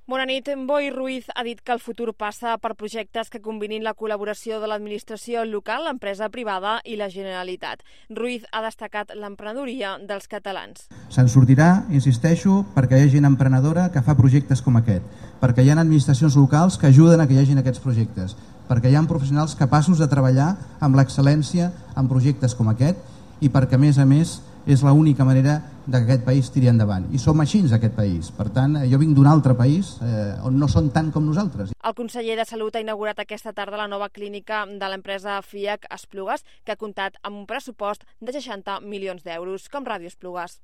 Bona nit. Boi Ruiz ha dit que el futur passa per projectes que combinin la col·laboració de l'administració local, l'empresa privada i la Generalitat. Ruiz ha destacat l'emprenedoria dels catalans. Se'n sortirà, insisteixo, perquè hi ha gent emprenedora que fa projectes com aquest, perquè hi ha administracions locals que ajuden a que hi hagin aquests projectes, perquè hi ha professionals capaços de treballar amb l'excel·lència en projectes com aquest i perquè, a més, és l'única manera que aquest país tiri endavant. I som així, aquest país. Per tant, jo vinc d'un altre país on no són tant com nosaltres. El conseller de Salut ha inaugurat aquesta tarda la nova clínica de l'empresa FIAC Esplugues, que ha comptat amb un pressupost de 60 milions d'euros, com Ràdio Esplugues.